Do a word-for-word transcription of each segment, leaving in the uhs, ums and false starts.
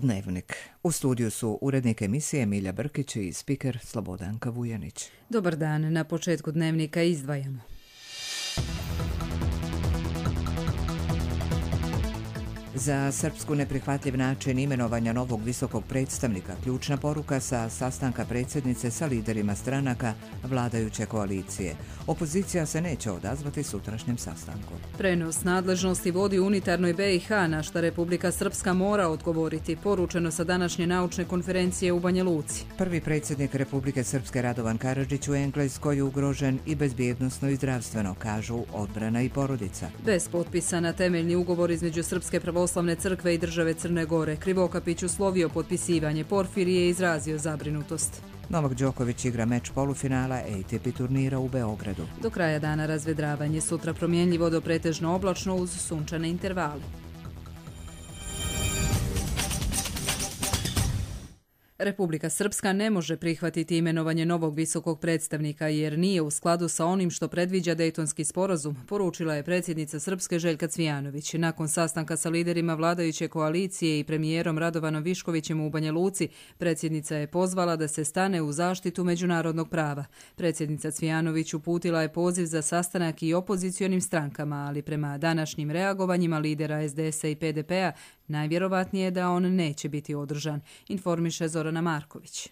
Dnevnik. U studiju su urednik emisije Milja Brkić i spiker Slobodanka Vujanić. Dobar dan, na početku Dnevnika izdvajamo. Za Srpsku neprihvatljiv način imenovanja novog visokog predstavnika, ključna poruka sa sastanka predsjednice sa liderima stranaka vladajuće koalicije. Opozicija se neće odazvati sutrašnjem sastanku. Prenos nadležnosti vodi unitarnoj B i H, na šta Republika Srpska mora odgovoriti, poručeno sa današnje naučne konferencije u Banja Luci. Prvi predsjednik Republike Srpske Radovan Karadžić u Engleskoj je ugrožen i bezbjednosno i zdravstveno, kažu odbrana i porodica. Bez potpisa na temeljni ugovor između Srpske pravoslavne crkve i države Crne Gore, Krivokapić uslovio potpisivanje, Porfirije je izrazio zabrinutost. Novak Đoković igra meč polufinala A T P turnira u Beogradu. Do kraja dana razvedravanje, sutra promjenljivo do pretežno oblačno uz sunčane intervale. Republika Srpska ne može prihvatiti imenovanje novog visokog predstavnika jer nije u skladu sa onim što predviđa Dejtonski sporazum, poručila je predsjednica Srpske Željka Cvijanović. Nakon sastanka sa liderima vladajuće koalicije i premijerom Radovanom Viškovićem u Banja Luci, predsjednica je pozvala da se stane u zaštitu međunarodnog prava. Predsjednica Cvijanović uputila je poziv za sastanak i opozicionim strankama, ali prema današnjim reagovanjima lidera S D S-a i P D P-a najvjerovatnije je da on neće biti održan, informiše Zorana Marković.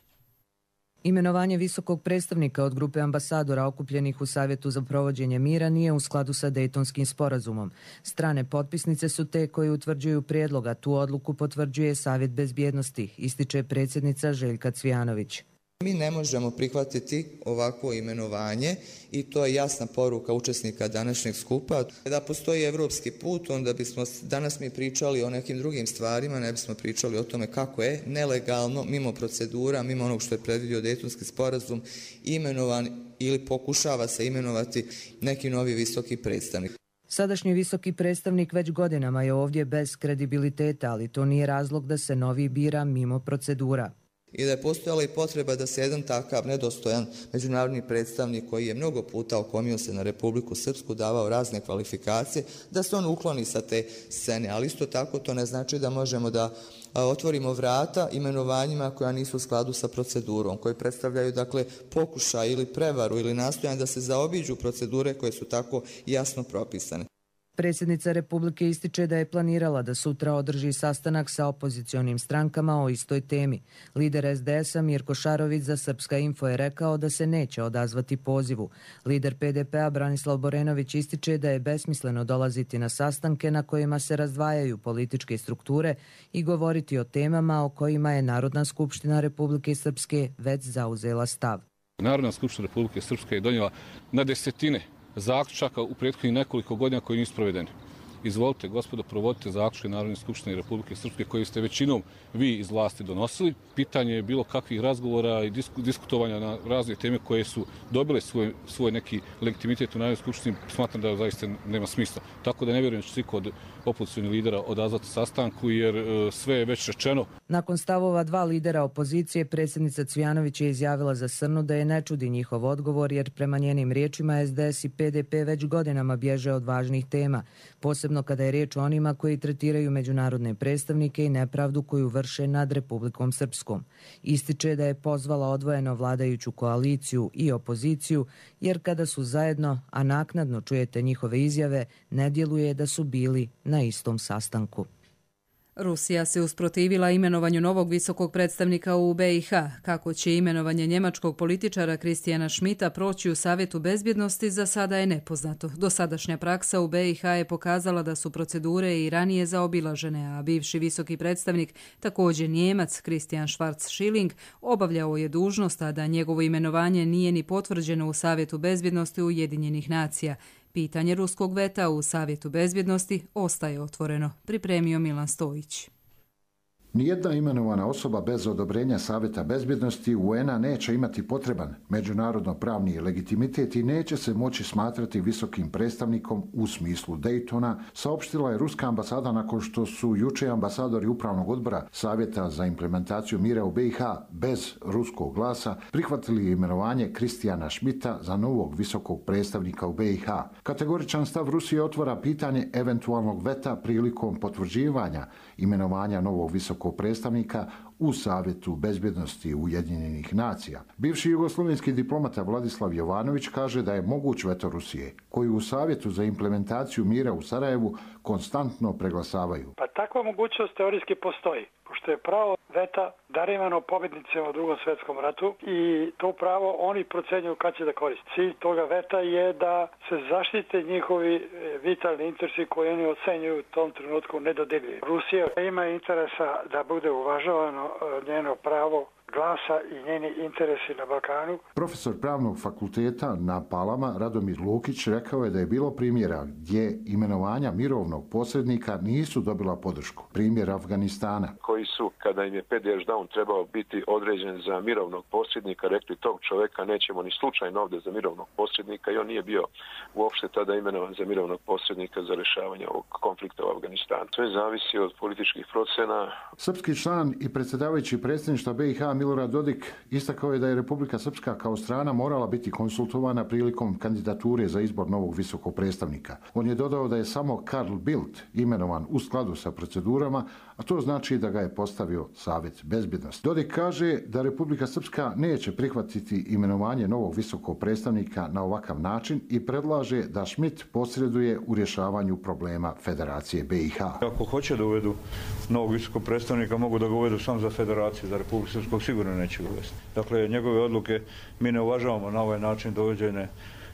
Imenovanje visokog predstavnika od grupe ambasadora okupljenih u Savjetu za provođenje mira nije u skladu sa Dejtonskim sporazumom. Strane potpisnice su te koje utvrđuju prijedloga, tu odluku potvrđuje Savjet bezbjednosti, ističe predsjednica Željka Cvijanović. Mi ne možemo prihvatiti ovakvo imenovanje i to je jasna poruka učesnika današnjeg skupa. Da postoji evropski put, onda bismo danas mi pričali o nekim drugim stvarima, ne bismo pričali o tome kako je nelegalno, mimo procedura, mimo onog što je predvidio Dejtonski sporazum, imenovan ili pokušava se imenovati neki novi visoki predstavnik. Sadašnji visoki predstavnik već godinama je ovdje bez kredibiliteta, ali to nije razlog da se novi bira mimo procedura. I da je postojala i potreba da se jedan takav nedostojan međunarodni predstavnik koji je mnogo puta okomio se na Republiku Srpsku, davao razne kvalifikacije, da se on ukloni sa te scene. Ali isto tako to ne znači da možemo da otvorimo vrata imenovanjima koja nisu u skladu sa procedurom, koji predstavljaju dakle pokušaj ili prevaru ili nastojanje da se zaobiđu procedure koje su tako jasno propisane. Predsjednica Republike ističe da je planirala da sutra održi sastanak sa opozicionim strankama o istoj temi. Lider S D S-a Mirko Šarović za Srpska info je rekao da se neće odazvati pozivu. Lider P D P-a Branislav Borenović ističe da je besmisleno dolaziti na sastanke na kojima se razdvajaju političke strukture i govoriti o temama o kojima je Narodna skupština Republike Srpske već zauzela stav. Narodna skupština Republike Srpske je donijela na desetine zaključaka u prethodnih nekoliko godina koji nisu provedeni. Izvolite, gospodo, provodite zaključke Narodne skupštine Republike Srpske koji ste većinom vi iz vlasti donosili. Pitanje je bilo kakvih razgovora i diskutovanja na razne teme koje su dobile svoj, svoj neki legitimitet u Narodnoj skupštini. Smatram da zaista nema smisla. Tako da ne vjerujem da će svi kod opozicionih lidera odazvati sastanku jer e, sve je već rečeno. Nakon stavova dva lidera opozicije, predsjednica Cvijanović je izjavila za Srnu da je ne čudi njihov odgovor jer prema njenim riječima S D S i P D P već godinama bježe od važnih tema, posebno kada je riječ o onima koji tretiraju međunarodne predstavnike i nepravdu koju vrše nad Republikom Srpskom. Ističe da je pozvala odvojeno vladajuću koaliciju i opoziciju jer kada su zajedno, a naknadno čujete njihove izjave, ne djeluje da su bili na istom sastanku. Rusija se usprotivila imenovanju novog visokog predstavnika u B i H. Kako će imenovanje njemačkog političara Kristijana Schmidta proći u Savjetu bezbjednosti za sada je nepoznato. Dosadašnja praksa u B i H je pokazala da su procedure i ranije zaobilažene, a bivši visoki predstavnik, također Njemac Christian Schwarz-Schilling, obavljao je dužnost, a da njegovo imenovanje nije ni potvrđeno u Savjetu bezbjednosti Ujedinjenih nacija. Pitanje ruskog veta u Savjetu bezbjednosti ostaje otvoreno, pripremio Milan Stojić. Nijedna imenovana osoba bez odobrenja Savjeta bezbjednosti U N A neće imati potreban međunarodno-pravni legitimitet i neće se moći smatrati visokim predstavnikom u smislu Daytona, saopštila je ruska ambasada nakon što su juče ambasadori Upravnog odbora Savjeta za implementaciju mira u B i H bez ruskog glasa prihvatili imenovanje Kristijana Schmidta za novog visokog predstavnika u B i H. Kategoričan stav Rusije otvara pitanje eventualnog veta prilikom potvrđivanja imenovanja novog visokog visokog predstavnika u Savjetu bezbjednosti Ujedinjenih nacija. Bivši jugoslovenski diplomata Vladislav Jovanović kaže da je moguć veto Rusije, koji u Savjetu za implementaciju mira u Sarajevu konstantno preglasavaju. Pa takva mogućnost teorijski postoji, pošto je pravo veta darivano pobjednicima u Drugom svjetskom ratu i to pravo oni procenjuju kad će da koriste. Cilj toga veta je da se zaštite njihovi vitalni interesi koji oni ocenjuju u tom trenutku nedodirljivi. Rusija ima interesa da bude uvažavano njeno pravo glasa i njeni interesi na Balkanu. Profesor pravnog fakulteta na Palama Radomir Lukić rekao je da je bilo primjera gdje imenovanja mirovnog posrednika nisu dobila podršku. Primjer Afganistana. Koji su, kada im je Pediš Daun trebao biti određen za mirovnog posrednika, rekli tog čovjeka nećemo ni slučajno ovdje za mirovnog posrednika i on nije bio uopšte tada imenovan za mirovnog posrednika za rješavanje ovog konflikta u Afganistanu. Sve zavisi od političkih procena. Srpski član i predsjedavajući predsjedništva B i H Milorad Dodik istakao je da je Republika Srpska kao strana morala biti konsultovana prilikom kandidature za izbor novog visokog predstavnika. On je dodao da je samo Carl Bildt imenovan u skladu sa procedurama, a to znači da ga je postavio Savjet bezbjednosti. Dodik kaže da Republika Srpska neće prihvatiti imenovanje novog visokog predstavnika na ovakav način i predlaže da Schmidt posreduje u rješavanju problema Federacije B i H. Ako hoće da uvedu novog visokog predstavnika, mogu da ga uvedu samo za Federaciju, za Republiku Srpsku sigurno neće ga uvesti. Dakle, njegove odluke mi ne uvažavamo na ovaj način dovođene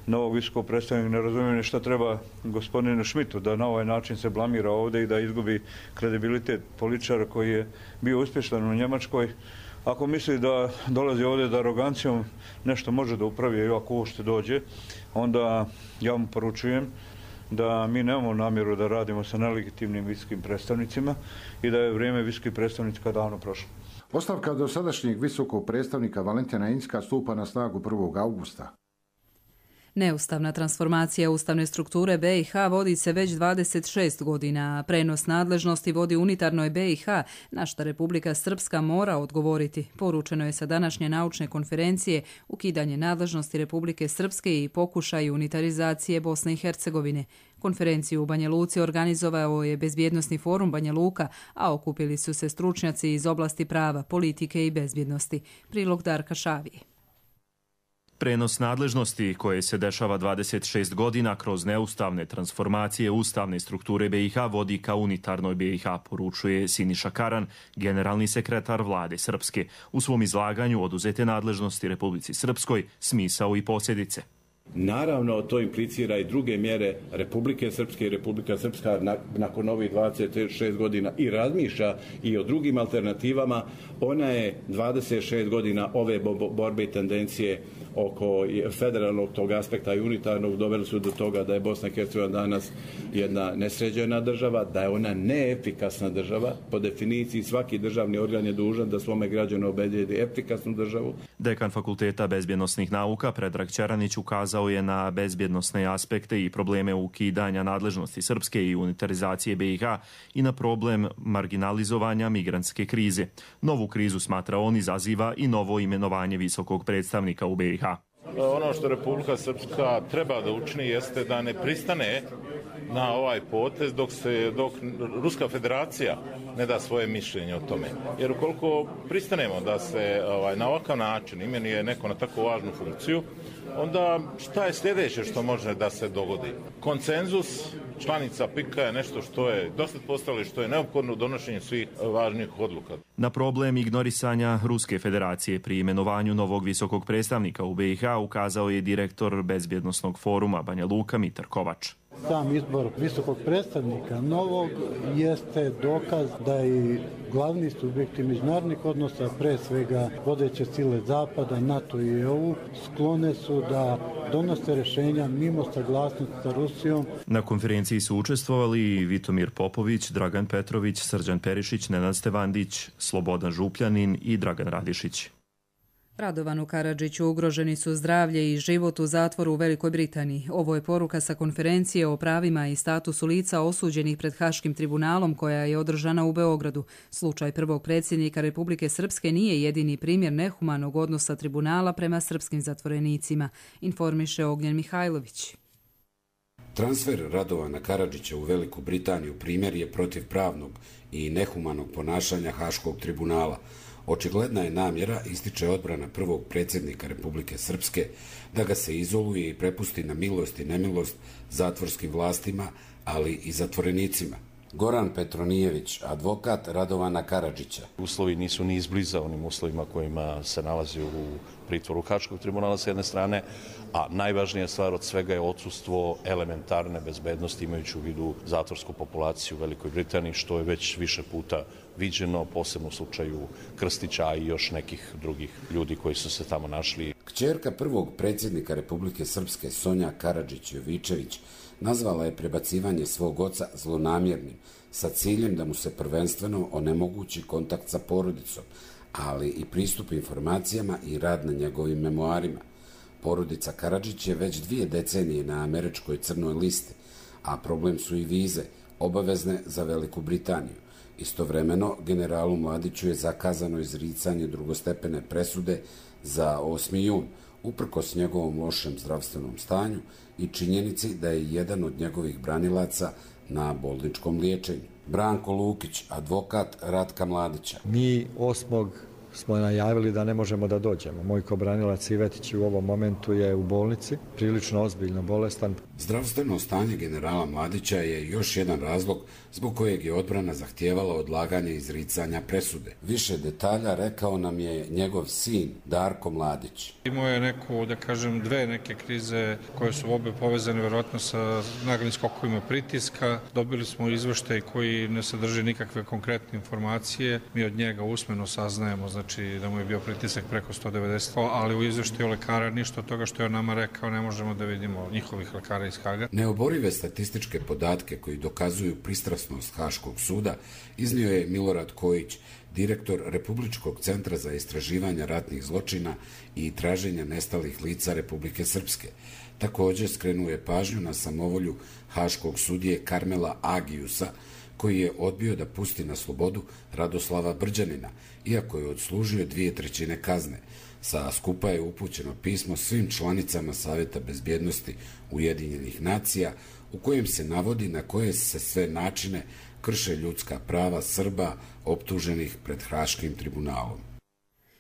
novog visokog predstavnika. Ne razumijem šta treba gospodinu Schmidtu da na ovaj način se blamira ovdje i da izgubi kredibilitet političara koji je bio uspješan u Njemačkoj. Ako misli da dolazi ovdje da arogancijom nešto može da upravi i ako uopšte dođe, onda ja mu poručujem da mi nemamo namjeru da radimo sa nelegitimnim visokim predstavnicima i da je vrijeme visokih predstavnika davno prošlo. Ostavka dosadašnjeg visokog predstavnika Valentina Inzka stupa na snagu prvog augusta. Neustavna transformacija ustavne strukture B i H vodi se već dvadeset šest godina, a prenos nadležnosti vodi unitarnoj B i H, na što Republika Srpska mora odgovoriti. Poručeno je sa današnje naučne konferencije ukidanje nadležnosti Republike Srpske i pokušaj unitarizacije Bosne i Hercegovine. Konferenciju u Banja Luci organizovao je Bezbjednosni forum Banja Luka, a okupili su se stručnjaci iz oblasti prava, politike i bezbjednosti. Prilog Darka Šavije. Prenos nadležnosti koje se dešava dvadeset šest godina kroz neustavne transformacije ustavne strukture B i H vodi ka unitarnoj B i H, poručuje Siniša Karan, generalni sekretar vlade Srpske. U svom izlaganju oduzete nadležnosti Republici Srpskoj, smisao i posljedice. Naravno, to implicira i druge mjere Republike Srpske i Republika Srpska nakon ovih dvadeset šest godina i razmišlja i o drugim alternativama. Ona je dvadeset šest godina ove borbe i tendencije oko federalnog tog aspekta i unitarnog doveli su do toga da je Bosna i Hercegovina danas jedna nesređena država, da je ona neefikasna država. Po definiciji svaki državni organ je dužan da svome građanu obezbijedi efikasnu državu. Dekan Fakulteta bezbjednosnih nauka Predrag Ćeranić ukazao je na bezbjednosne aspekte i probleme ukidanja nadležnosti Srpske i unitarizacije B i H i na problem marginalizovanja migrantske krize. Novu krizu, smatra on, izaziva i novo imenovanje visokog predstavnika u B i H. Ono što Republika Srpska treba da učini jeste da ne pristane na ovaj potez dok se dok Ruska federacija ne da svoje mišljenje o tome. Jer ukoliko pristanemo da se ovaj, na ovakav način imenuje neko na tako važnu funkciju, onda šta je sljedeće što može da se dogodi? Konsenzus članica P I K-a je nešto što je dosta postavilo i što je neophodno u donošenju svih važnih odluka. Na problem ignorisanja Ruske federacije pri imenovanju novog visokog predstavnika u B i H ukazao je direktor Bezbjednosnog foruma Banja Luka Mitar Kovač. Sam izbor visokog predstavnika novog jeste dokaz da i glavni subjekti međunarodnih odnosa, pre svega vodeće sile Zapada, NATO i E U, sklone su da donose rješenja mimo saglasnosti sa Rusijom. Na konferenciji su učestvovali i Vitomir Popović, Dragan Petrović, Srđan Perišić, Nenad Stevandić, Slobodan Župljanin i Dragan Radišić. Radovanu Karadžiću ugroženi su zdravlje i život u zatvoru u Velikoj Britaniji. Ovo je poruka sa konferencije o pravima i statusu lica osuđenih pred Haškim tribunalom koja je održana u Beogradu. Slučaj prvog predsjednika Republike Srpske nije jedini primjer nehumanog odnosa tribunala prema srpskim zatvorenicima, informiše Ognjen Mihajlović. Transfer Radovana Karadžića u Veliku Britaniju primjer je protivpravnog i nehumanog ponašanja Haškog tribunala. Očigledna je namjera, ističe odbrana prvog predsjednika Republike Srpske, da ga se izoluje i prepusti na milost i nemilost zatvorskim vlastima, ali i zatvorenicima. Goran Petronijević, advokat Radovana Karadžića. Uslovi nisu ni izbliza onim uslovima kojima se nalazi u pritvoru Haškog tribunala s jedne strane, a najvažnija stvar od svega je odsustvo elementarne bezbednosti imajući u vidu zatvorsku populaciju u Velikoj Britaniji, što je već više puta viđeno, posebno u slučaju Krstića i još nekih drugih ljudi koji su se tamo našli. Kćerka prvog predsjednika Republike Srpske Sonja Karadžić-Jovičević nazvala je prebacivanje svog oca zlonamjernim, sa ciljem da mu se prvenstveno onemogući kontakt sa porodicom, ali i pristup informacijama i rad na njegovim memoarima. Porodica Karadžić je već dvije decenije na američkoj crnoj listi, a problem su i vize, obavezne za Veliku Britaniju. Istovremeno, generalu Mladiću je zakazano izricanje drugostepene presude za osmi jun, uprkos njegovom lošem zdravstvenom stanju i činjenici da je jedan od njegovih branilaca na bolničkom liječenju. Branko Lukić, advokat Ratka Mladića. Mi osmog smo najavili da ne možemo da dođemo. Moj kobranilac Ivetić u ovom momentu je u bolnici, prilično ozbiljno bolestan. Zdravstveno stanje generala Mladića je još jedan razlog zbog kojeg je odbrana zahtijevala odlaganje izricanja presude. Više detalja rekao nam je njegov sin Darko Mladić. Imao je neku, da kažem, dve neke krize koje su obe povezane vjerojatno sa naglim skokovima pritiska. Dobili smo izveštaj koji ne sadrži nikakve konkretne informacije. Mi od njega usmeno saznajemo, znači da mu je bio pritisak preko sto devedeset, ali u izveštaju lekara ništa od toga što je nama rekao ne možemo da vidimo njihovih lekara iz Haga. Neoborive statističke podatke koji dokazuju pristrasnost Haškog suda iznio je Milorad Kojić, direktor Republičkog centra za istraživanje ratnih zločina i traženja nestalih lica Republike Srpske. Također skrenuo je pažnju na samovolju haškog sudije Karmela Agijusa, koji je odbio da pusti na slobodu Radoslava Brđanina, iako je odslužio dvije trećine kazne. Sa skupa je upućeno pismo svim članicama Savjeta bezbjednosti Ujedinjenih nacija, u kojem se navodi na koje se sve načine krše ljudska prava Srba optuženih pred Haškim tribunalom.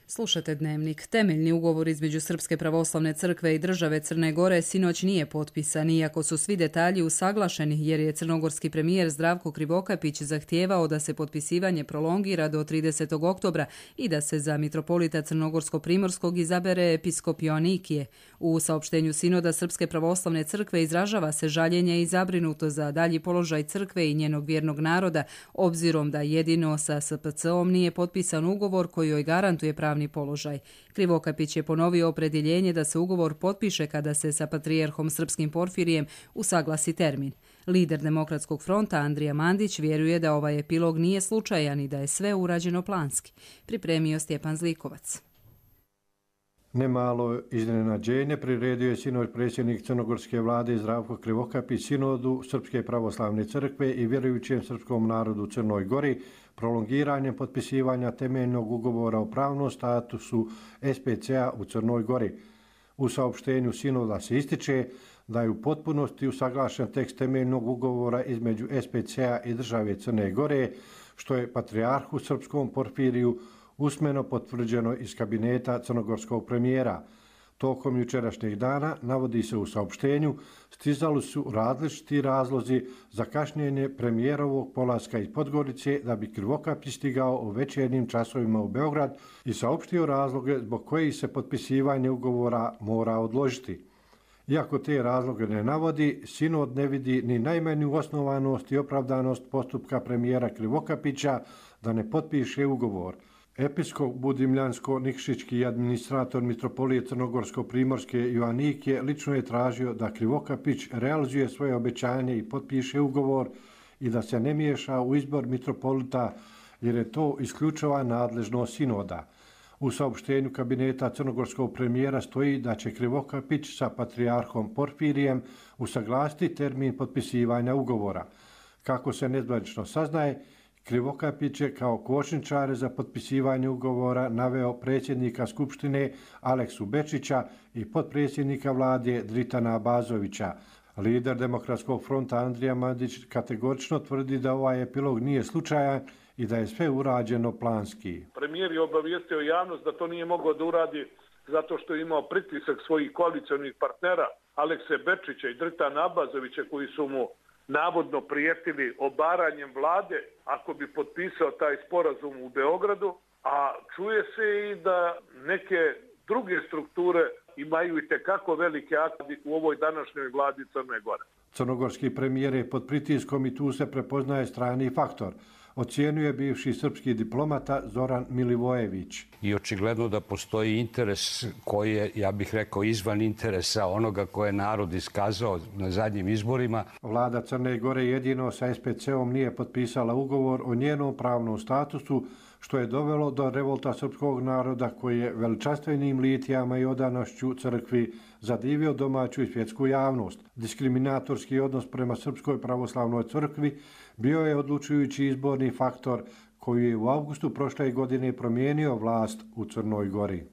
Slušate Dnevnik. Temeljni ugovor između Srpske pravoslavne crkve i države Crne Gore sinoć nije potpisan, iako su svi detalji usaglašeni, jer je crnogorski premijer Zdravko Krivokapić zahtijevao da se potpisivanje prolongira do tridesetog oktobra i da se za mitropolita Crnogorsko-Primorskog izabere episkop Joanikije. U saopštenju sinoda Srpske pravoslavne crkve izražava se žaljenje i zabrinuto za dalji položaj crkve i njenog vjernog naroda, obzirom da jedino sa S P C-om nije potpisan ugovor koji joj garantuje pravni položaj. Krivokapić je ponovio opredjeljenje da se ugovor potpiše kada se sa patrijarhom srpskim Porfirijem usaglasi termin. Lider Demokratskog fronta Andrija Mandić vjeruje da ovaj epilog nije slučajan i da je sve urađeno planski. Pripremio Stjepan Zlikovac. Nemalo iznenađenje priredio je sinoć predsjednik crnogorske vlade Zdravko Krivokapić sinodu Srpske pravoslavne crkve i vjerujućem srpskom narodu u Crnoj Gori prolongiranjem potpisivanja temeljnog ugovora o pravnom statusu S P C-a u Crnoj Gori. U saopštenju sinoda se ističe da je u potpunosti usaglašen tekst temeljnog ugovora između S P C-a i države Crne Gore, što je patrijarhu srpskom Porfiriju usmeno potvrđeno iz kabineta crnogorskog premijera. Tokom jučerašnjeg dana, navodi se u saopštenju, stizali su različiti razlozi za kašnjenje premijerovog polaska iz Podgorice da bi Krivokapić stigao u večernjim časovima u Beograd i saopštio razloge zbog kojih se potpisivanje ugovora mora odložiti. Iako te razloge ne navodi, sinod ne vidi ni najmanju osnovanost i opravdanost postupka premijera Krivokapića da ne potpiše ugovor. Episkop Budimljansko-Nikšićki administrator mitropolije Crnogorsko-Primorske Joanikije lično je tražio da Krivokapić realizuje svoje obećanje i potpiše ugovor i da se ne miješa u izbor mitropolita jer je to isključiva nadležnost sinoda. U saopštenju kabineta crnogorskog premijera stoji da će Krivokapić sa patrijarhom Porfirijem usaglasiti termin potpisivanja ugovora. Kako se nezvanično saznaje, Krivokapić je kao kočničare za potpisivanje ugovora naveo predsjednika Skupštine Aleksu Bečića i potpredsjednika vlade Dritana Abazovića. Lider Demokratskog fronta Andrija Mandić kategorično tvrdi da ovaj epilog nije slučajan i da je sve urađeno planski. Premijer je obavijestio javnost da to nije mogao da uradi zato što je imao pritisak svojih koalicionih partnera Alekse Bečića i Dritana Abazovića koji su mu navodno prijetili obaranjem vlade ako bi potpisao taj sporazum u Beogradu, a čuje se i da neke druge strukture imaju i tekako velike akcije u ovoj današnjoj vladi Crne Gore. Crnogorski premijer je pod pritiskom i tu se prepoznaje strani faktor. Ocijenuje bivši srpski diplomata Zoran Milivojević. I očigledno da postoji interes koji je, ja bih rekao, izvan interesa onoga koje je narod iskazao na zadnjim izborima. Vlada Crne Gore jedino sa es pe ce-om nije potpisala ugovor o njenom pravnom statusu, što je dovelo do revolta srpskog naroda koji je veličanstvenim litijama i odanošću crkvi zadivio domaću i svjetsku javnost. Diskriminatorski odnos prema Srpskoj pravoslavnoj crkvi bio je odlučujući izborni faktor koji je u avgustu prošle godine promijenio vlast u Crnoj Gori.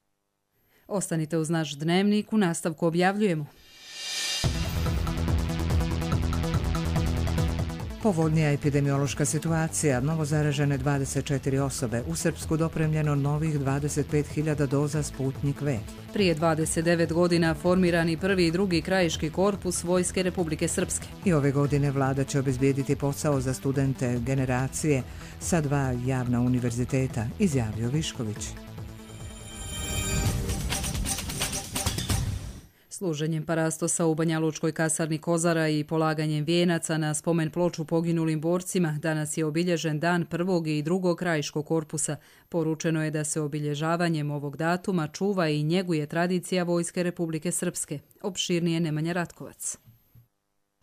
Ostanite uz naš dnevnik, u nastavku objavljujemo. Povoljnija epidemiološka situacija, novo zaražene dvadeset četiri osobe, u Srpsku dopremljeno novih dvadeset pet hiljada doza Sputnik V. Prije dvadeset devet godina formirani prvi i drugi krajiški korpus Vojske Republike Srpske. I ove godine vlada će obezbijediti posao za studente generacije sa dva javna univerziteta, izjavio Višković. Služenjem parastosa u Banja Lučkoj kasarni Kozara i polaganjem vijenaca na spomen ploču poginulim borcima danas je obilježen dan prvog i drugog krajiškog korpusa. Poručeno je da se obilježavanjem ovog datuma čuva i njeguje tradicija Vojske Republike Srpske. Opširnije Nemanja Ratkovac.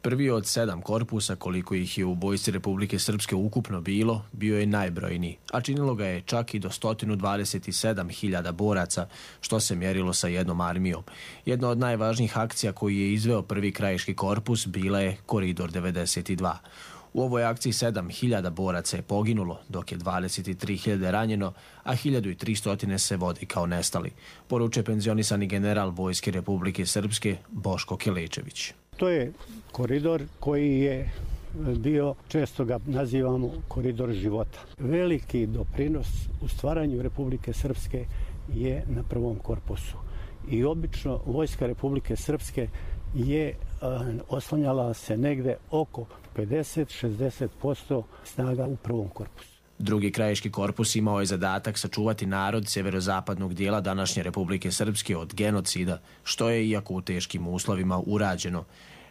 Prvi od sedam korpusa, koliko ih je u Vojsci Republike Srpske ukupno bilo, bio je najbrojniji, a činilo ga je čak i do sto dvadeset sedam hiljada boraca, što se mjerilo sa jednom armijom. Jedna od najvažnijih akcija koju je izveo prvi krajiški korpus bila je Koridor devedeset dva. U ovoj akciji sedam hiljada boraca je poginulo, dok je dvadeset tri hiljade ranjeno, a hiljadu tristo se vodi kao nestali, poručuje penzionisani general Vojske Republike Srpske Boško Kelečević. To je koridor koji je bio, često ga nazivamo koridor života. Veliki doprinos u stvaranju Republike Srpske je na prvom korpusu. I obično Vojska Republike Srpske je oslanjala se negde oko pedeset do šezdeset posto snaga u prvom korpusu. Drugi krajiški korpus imao je zadatak sačuvati narod sjeverozapadnog dijela današnje Republike Srpske od genocida, što je iako u teškim uslovima urađeno.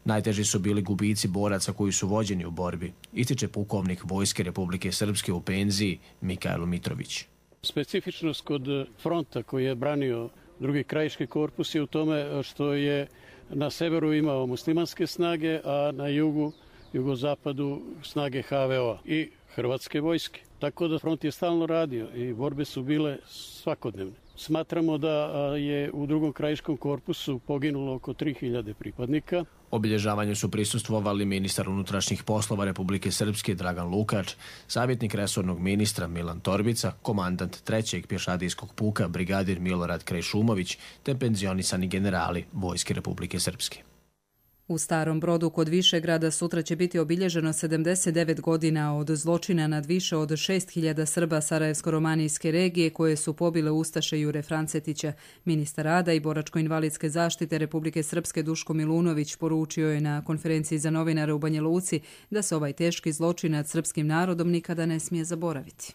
Najteži su bili gubici boraca koji su vođeni u borbi, ističe pukovnik Vojske Republike Srpske u penziji Mikajlo Mitrović. Specifičnost kod fronta koji je branio drugi krajiški korpus je u tome što je na severu imao muslimanske snage, a na jugu, jugozapadu snage ha ve o-a i Hrvatske vojske. Tako da front je stalno radio i borbe su bile svakodnevne. Smatramo da je u drugom krajiškom korpusu poginulo oko tri hiljade pripadnika. Obilježavanju su prisustvovali ministar unutrašnjih poslova Republike Srpske Dragan Lukač, savjetnik resornog ministra Milan Torbica, komandant trećeg pješadijskog puka brigadir Milorad Krajšumović te penzionisani generali Vojske Republike Srpske. U Starom Brodu kod Višegrada sutra će biti obilježeno sedamdeset devet godina od zločina nad više od šest hiljada Srba Sarajevsko-romanijske regije koje su pobile ustaše Jure Francetića. Ministar rada i boračko-invalidske zaštite Republike Srpske Duško Milunović poručio je na konferenciji za novinare u Banja Luci da se ovaj teški zločin nad srpskim narodom nikada ne smije zaboraviti.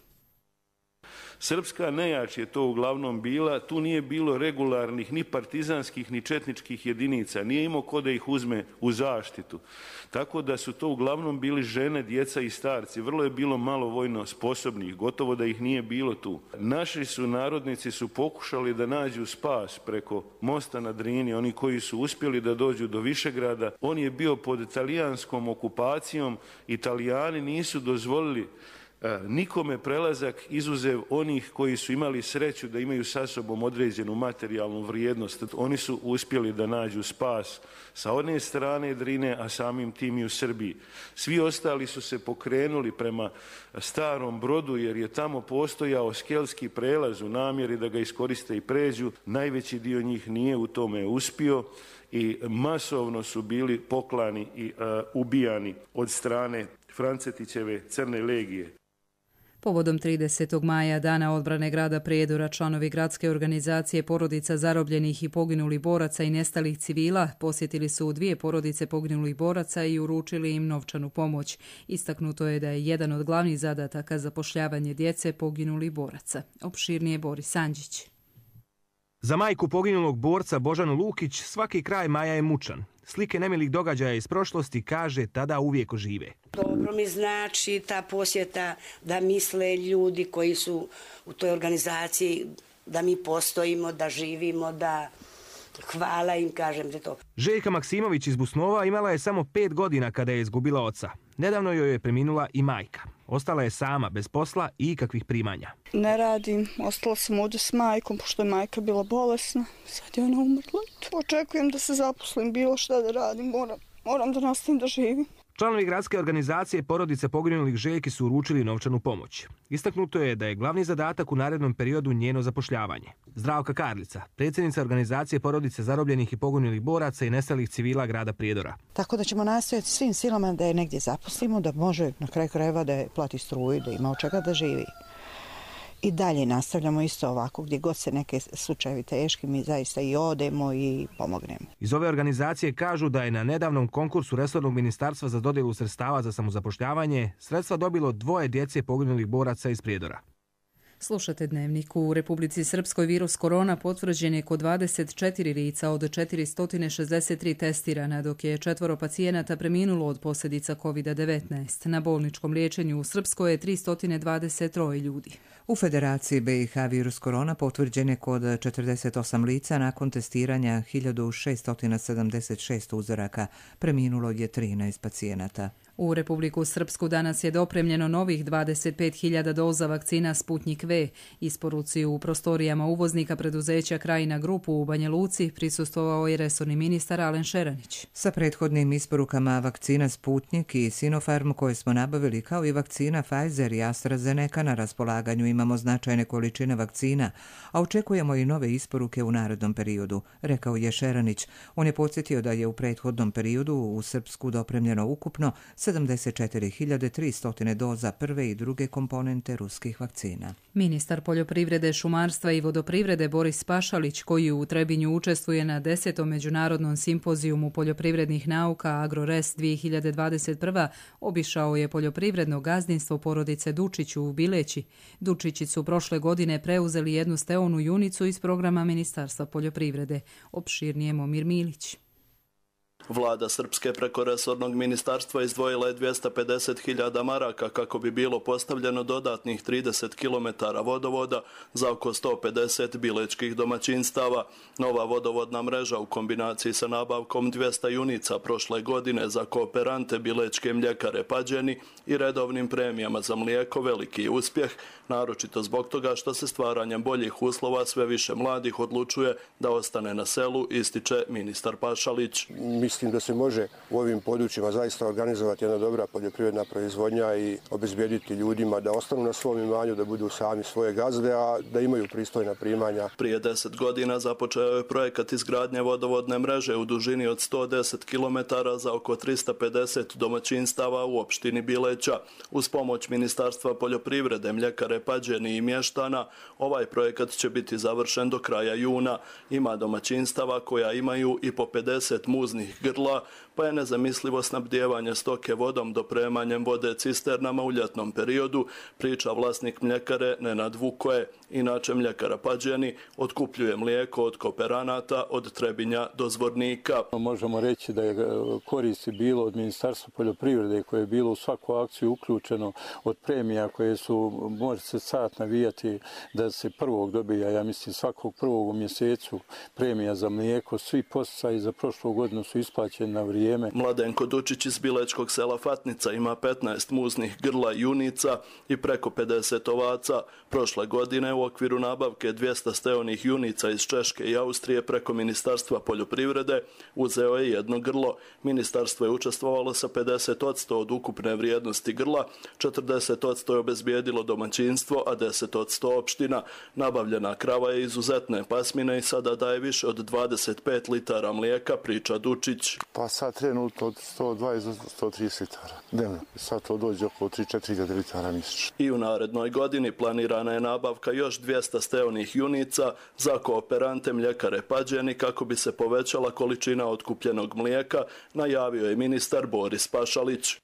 Srpska nejač je to uglavnom bila, tu nije bilo regularnih ni partizanskih ni četničkih jedinica, nije imao ko da ih uzme u zaštitu. Tako da su to uglavnom bili žene, djeca i starci, vrlo je bilo malo vojno sposobnih, gotovo da ih nije bilo tu. Naši su narodnici su pokušali da nađu spas preko mosta na Drini, oni koji su uspjeli da dođu do Višegrada. On je bio pod italijanskom okupacijom, Italijani nisu dozvolili nikome prelazak izuzev onih koji su imali sreću da imaju sa sobom određenu materijalnu vrijednost. Oni su uspjeli da nađu spas sa one strane Drine, a samim tim i u Srbiji. Svi ostali su se pokrenuli prema Starom Brodu jer je tamo postojao skelski prelaz u namjeri da ga iskoriste i pređu. Najveći dio njih nije u tome uspio i masovno su bili poklani i uh, ubijani od strane Francetićeve Crne legije. Povodom tridesetog maja, Dana odbrane grada Prijedora, članovi gradske organizacije porodica zarobljenih i poginulih boraca i nestalih civila posjetili su dvije porodice poginulih boraca i uručili im novčanu pomoć. Istaknuto je da je jedan od glavnih zadataka zapošljavanje djece poginulih boraca. Opširnije Boris Andžić. Za majku poginulog borca Božanu Lukić svaki kraj maja je mučan. Slike nemilih događaja iz prošlosti, kaže, tada uvijek ožive. Dobro mi znači ta posjeta da misle ljudi koji su u toj organizaciji da mi postojimo, da živimo, da hvala im, kažem za to. Željka Maksimović iz Busnova imala je samo pet godina kada je izgubila oca. Nedavno joj je preminula i majka. Ostala je sama, bez posla i ikakvih primanja. Ne radim, ostala sam ovdje s majkom, pošto je majka bila bolesna. Sad je ona umrla. Očekujem da se zaposlim, bilo šta da radim, moram, moram da nastavim da živim. Članovi gradske organizacije porodice poginulih Željki su uručili novčanu pomoć. Istaknuto je da je glavni zadatak u narednom periodu njeno zapošljavanje. Zdravka Karlica, predsjednica organizacije porodice zarobljenih i poginulih boraca i nestalih civila grada Prijedora. Tako da ćemo nastojati svim silama da je negdje zaposlimo, da može na kraju krajeva da je plati struju, da ima od čega da živi. I dalje nastavljamo isto ovako, gdje god se neke slučajevi teški, mi zaista i odemo i pomognemo. Iz ove organizacije kažu da je na nedavnom konkursu resornog ministarstva za dodjelu sredstava za samozapošljavanje sredstva dobilo dvoje djece poginulih boraca iz Prijedora. Slušate Dnevnik. U Republici Srpskoj virus korona potvrđen je kod dvadeset četiri lica od četiristo šezdeset tri testirana, dok je četvoro pacijenata preminulo od posljedica kovid devetnaest. Na bolničkom liječenju u Srpskoj je tristo dvadeset tri ljudi. U Federaciji B i H virus korona potvrđen je kod četrdeset osam lica nakon testiranja hiljadu šesto sedamdeset šest uzoraka. Preminulo je trinaest pacijenata. U Republiku Srpsku danas je dopremljeno novih dvadeset pet hiljada doza vakcina Sputnik V. Isporuci u prostorijama uvoznika preduzeća Krajina Grupu u Banja Luci prisustvovao je resorni ministar Alen Šeranić. Sa prethodnim isporukama vakcina Sputnik i Sinopharm koje smo nabavili, kao i vakcina Pfizer i AstraZeneca, na raspolaganju imamo značajne količine vakcina, a očekujemo i nove isporuke u narednom periodu, rekao je Šeranić. On je podsjetio da je u prethodnom periodu u Srpsku dopremljeno ukupno sedamdeset četiri hiljade tristo doza prve i druge komponente ruskih vakcina. Ministar poljoprivrede, šumarstva i vodoprivrede Boris Pašalić, koji u Trebinju učestvuje na desetom međunarodnom simpozijumu poljoprivrednih nauka AgroRes dvije hiljade dvadeset prva, obišao je poljoprivredno gazdinstvo porodice Dučić u Bileći. Dučići su prošle godine preuzeli jednu steonu junicu iz programa Ministarstva poljoprivrede. Opširnije Momir Milić. Vlada Srpske preko resornog ministarstva izdvojila je dvjesto pedeset hiljada maraka kako bi bilo postavljeno dodatnih trideset kilometara vodovoda za oko sto pedeset bilečkih domaćinstava. Nova vodovodna mreža u kombinaciji sa nabavkom dvjesto junica prošle godine za kooperante bilečke mljekare Pađeni i redovnim premijama za mlijeko veliki uspjeh, naročito zbog toga što se stvaranjem boljih uslova sve više mladih odlučuje da ostane na selu, ističe ministar Pašalić. Mislim da se može u ovim područjima zaista organizovati jedna dobra poljoprivredna proizvodnja i obezbijediti ljudima da ostanu na svom imanju, da budu sami svoje gazde, a da imaju pristojna primanja. Prije deset godina započeo je projekat izgradnje vodovodne mreže u dužini od sto deset kilometara za oko tristo pedeset domaćinstava u opštini Bileća. Uz pomoć Ministarstva poljoprivrede, mljekare Pađeni i mještana, ovaj projekat će biti završen do kraja juna. Ima domaćinstava koja imaju i po pedeset muznih grla, pa je nezamislivo snabdijevanje stoke vodom dopremanjem vode cisternama u ljetnom periodu, priča vlasnik mljekare Nenad Vukoje. Inače, mljekara Pađeni otkupljuje mlijeko od kooperanata od Trebinja do Zvornika. Možemo reći da je koristi bilo od Ministarstva poljoprivrede koje je bilo u svaku akciju uključeno, od premija koje su, može se sad navijati da se prvog dobija, ja mislim svakog prvog u mjesecu premija za mlijeko. Svi posticaji za prošlu godinu su isplaćeni isplaćeni na vrijeme. Mladenko Dučić iz Bilečkog sela Fatnica ima petnaest muznih grla junica i preko pedeset ovaca. Prošle godine u okviru nabavke dvjesto steonih junica iz Češke i Austrije preko Ministarstva poljoprivrede uzeo je jedno grlo. Ministarstvo je učestvovalo sa pedeset posto od ukupne vrijednosti grla, četrdeset posto je obezbijedilo domaćinstvo, a deset posto opština. Nabavljena krava je izuzetne pasmine i sada daje više od dvadeset pet litara mlijeka, priča Dučić. Pa sad trenutno od sto dvadeset do sto trideset litara dnevno. Sad to dođe oko tri do četiri hiljade litara mjesečno. I u narednoj godini planirana je nabavka još dvjesto steonih junica za kooperante mljekare Pađeni kako bi se povećala količina otkupljenog mlijeka, najavio je ministar Boris Pašalić.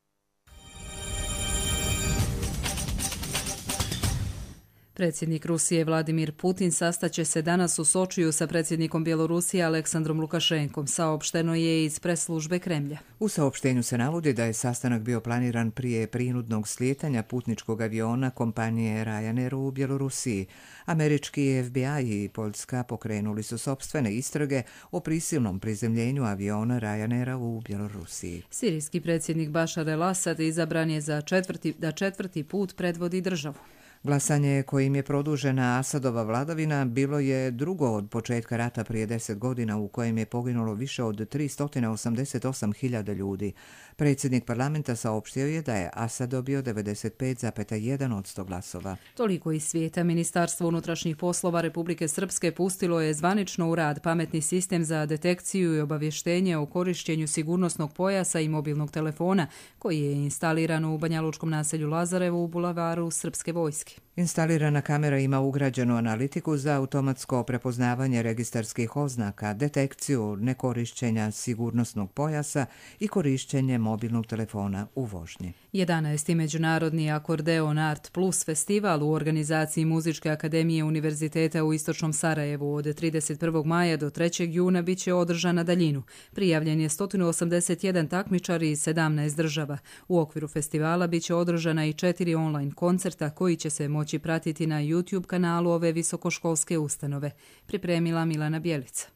Predsjednik Rusije Vladimir Putin sastaće se danas u Sočiju sa predsjednikom Bjelorusije Aleksandrom Lukašenkom, saopšteno je iz pres službe Kremlja. U saopštenju se navodi da je sastanak bio planiran prije prinudnog slijetanja putničkog aviona kompanije Ryanair u Bjelorusiji. Američki F B I i Poljska pokrenuli su sopstvene istrage o prisilnom prizemljenju aviona Ryanaira u Bjelorusiji. Sirijski predsjednik Bašar el-Asad izabran je za četvrti, da četvrti put predvodi državu. Glasanje kojim je produžena Asadova vladavina bilo je drugo od početka rata prije deset godina u kojem je poginulo više od tristo osamdeset osam hiljada ljudi. Predsjednik parlamenta saopštio je da je Asad dobio devedeset pet zarez jedan posto glasova. Toliko iz svijeta. Ministarstvo unutrašnjih poslova Republike Srpske pustilo je zvanično u rad pametni sistem za detekciju i obavještenje o korištenju sigurnosnog pojasa i mobilnog telefona koji je instaliran u banjalučkom naselju Lazarevo u bulevaru Srpske vojske. Instalirana kamera ima ugrađenu analitiku za automatsko prepoznavanje registarskih oznaka, detekciju nekorišćenja sigurnosnog pojasa i korišćenje mobilnog telefona u vožnji. jedanaesti. Međunarodni Akordeon Art Plus festival u organizaciji Muzičke akademije Univerziteta u Istočnom Sarajevu od trideset prvog maja do trećeg juna bit će održan na daljinu. Prijavljen je sto osamdeset jedan takmičar iz sedamnaest država. U okviru festivala bit će održana i četiri online koncerta koji će se moći pratiti na YouTube kanalu ove visokoškolske ustanove. Pripremila Milana Bjelica.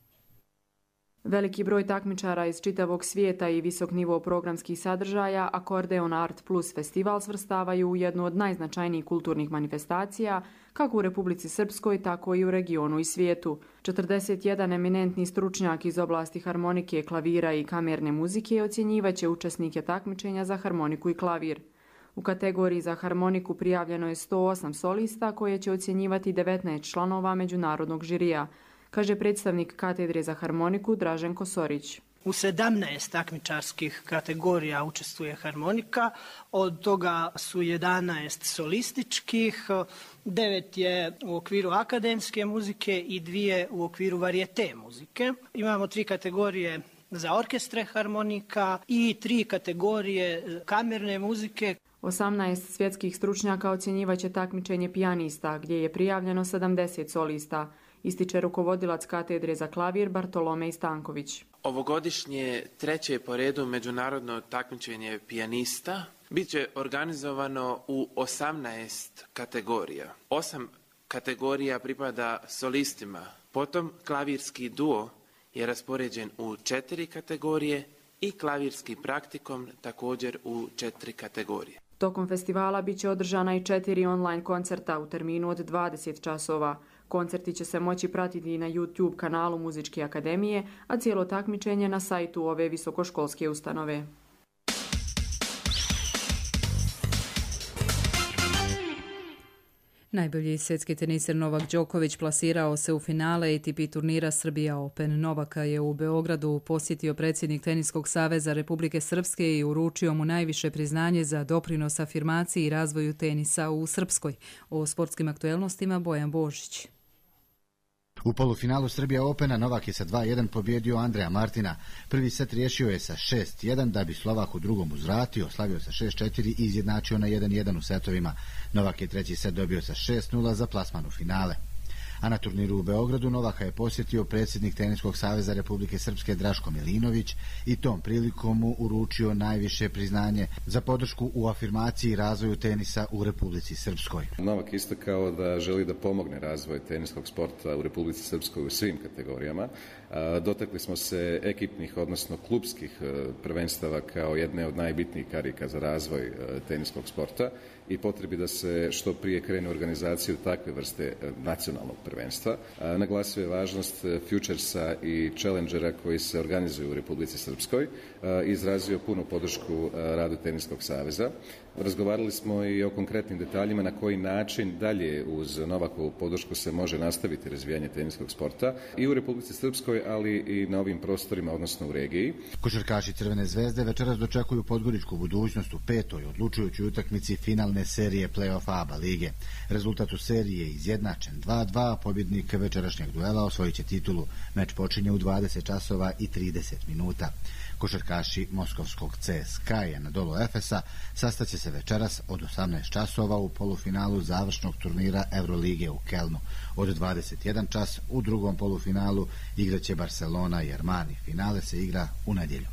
Veliki broj takmičara iz čitavog svijeta i visok nivo programskih sadržaja Akordeon Art Plus festival svrstavaju u jednu od najznačajnijih kulturnih manifestacija kako u Republici Srpskoj, tako i u regionu i svijetu. četrdeset jedan eminentni stručnjak iz oblasti harmonike, klavira i kamerne muzike ocjenjivaće učesnike takmičenja za harmoniku i klavir. U kategoriji za harmoniku prijavljeno je sto osam solista koje će ocjenjivati devetnaest članova međunarodnog žirija, kaže predstavnik katedre za harmoniku Dražen Kosorić. U sedamnaest takmičarskih kategorija učestvuje harmonika, od toga su jedanaest solističkih, devet je u okviru akademske muzike i dvije u okviru varijete muzike. Imamo tri kategorije za orkestre harmonika i tri kategorije kamerne muzike. osamnaest svjetskih stručnjaka ocjenjivaće takmičenje pijanista, gdje je prijavljeno sedamdeset solista, ističe rukovodilac katedre za klavir Bartolomej Stanković. Ovogodišnje treće po redu međunarodno takmičenje pijanista bit će organizovano u osamnaest kategorija. Osam kategorija pripada solistima, potom klavirski duo je raspoređen u četiri kategorije i klavirski praktikum također u četiri kategorije. Tokom festivala bit će održana i četiri online koncerta u terminu od dvadeset časova. Koncerti će se moći pratiti na YouTube kanalu Muzičke akademije, a cijelo takmičenje na sajtu ove visokoškolske ustanove. Najbolji svjetski teniser Novak Đoković plasirao se u finale A T P turnira Srbija Open. Novaka je u Beogradu posjetio predsjednik Teniskog saveza Republike Srpske i uručio mu najviše priznanje za doprinos afirmaciji i razvoju tenisa u Srpskoj. O sportskim aktuelnostima Bojan Božić. U polufinalu Srbija Opena Novak je sa dva jedan pobjedio Andreja Martina. Prvi set riješio je sa šest jedan da bi Slovak u drugom uzvratio, slavio sa šest četiri i izjednačio na jedan jedan u setovima. Novak je treći set dobio sa šest nula za plasman u finale. A na turniru u Beogradu Novaka je posjetio predsjednik Teniskog saveza Republike Srpske Draško Milinović i tom prilikom mu uručio najviše priznanje za podršku u afirmaciji i razvoju tenisa u Republici Srpskoj. Novak istakao da želi da pomogne razvoj teniskog sporta u Republici Srpskoj u svim kategorijama. Dotakli smo se ekipnih, odnosno klubskih prvenstava kao jedne od najbitnijih karika za razvoj teniskog sporta i potrebi da se što prije krene u organizaciju takve vrste nacionalnog prvenstva. Naglasio je važnost Futuresa i Challengera koji se organizuju u Republici Srpskoj i izrazio punu podršku radu Teniskog saveza. Razgovarali smo i o konkretnim detaljima na koji način dalje uz Novakovu podršku se može nastaviti razvijanje teniskog sporta i u Republici Srpskoj, ali i na ovim prostorima, odnosno u regiji. Košarkaši Crvene zvezde večeras dočekuju podgoričku budućnost u petoj odlučujućoj utakmici finalne serije play-off ABA lige. Rezultat u seriji je izjednačen dva dva, pobjednik večerašnjeg duela osvojit će titulu. Meč počinje u dvadeset časova i trideset minuta. Košarkaši moskovskog C S K A na dolu Efesa sastaće se večeras od osamnaest časova u polufinalu završnog turnira Eurolige u Kelnu. Od dvadeset jedan čas u drugom polufinalu igraće Barcelona i Armani. Finale se igra u nedjelju.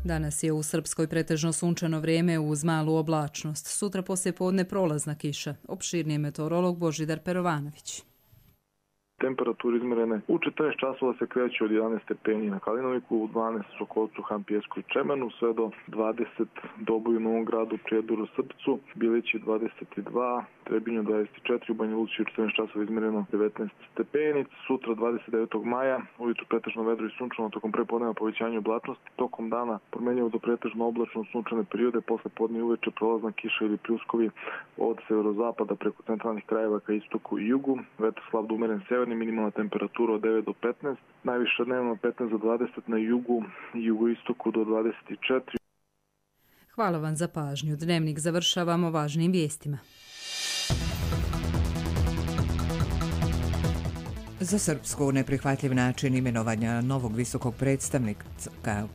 Danas je u Srpskoj pretežno sunčano vrijeme uz malu oblačnost. Sutra poslije podne prolazna kiša. Opširniji meteorolog Božidar Perovanović. Temperature izmjerene u četrnaest časova se kreću od jedanaest stepeni na Kalinoviku, u dvanaest u Šokolcu, Hampijesku i Čemenu, sve do dvadeset Doboju, Novom Gradu, Prijedoru, Srpcu, Bilići dvadeset dva, Trebinju dvadeset četiri, u Banja Luci u četrnaest časova izmjereno devetnaest stepeni, sutra dvadeset devetog maja, ujutru pretežno vedro i sunčano, tokom prepodneva povećanje oblačnosti, tokom dana promenjivo do pretežno oblačno sunčane periode, posle podne i uveče prolazna kiša ili pljuskovi od severozapada preko centralnih krajeva ka istoku i jugu, vetar slab do umeren sever, minimalna temperatura od devet do petnaest, najviša dnevno petnaest do dvadeset na jugu i jugoistoku do dvadeset četiri. Hvala vam za pažnju. Dnevnik završavamo važnim vijestima. Za Srpsku neprihvatljiv način imenovanja novog visokog predstavnika,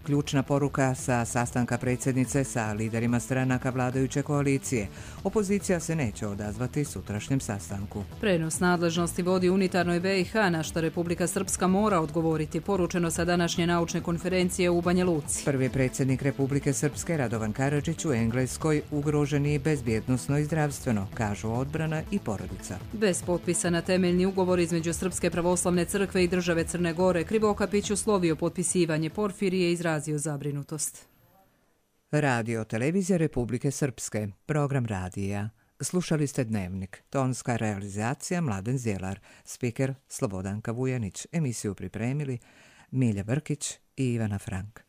ključna poruka sa sastanka predsjednice sa liderima stranaka vladajuće koalicije. Opozicija se neće odazvati sutrašnjem sastanku. Prenos nadležnosti vodi unitarnoj B i H, na što Republika Srpska mora odgovoriti, poručeno sa današnje naučne konferencije u Banja Luci. Prvi predsjednik Republike Srpske Radovan Karadžić u Engleskoj ugrožen je bezbjednosno i zdravstveno, kažu odbrana i porodica. Bez potpisa na temeljni ugovor između Srpske pravoslavne crkve i države Crne Gore, Krivokapić uslovio potpisivanje Porfirije i izrazio zabrinutost. Radio televizija Republike Srpske, program radija. Slušali ste Dnevnik, tonska realizacija Mladen Zjelar, spiker Slobodanka Vujanić, emisiju pripremili Milja Brkić i Ivana Frank.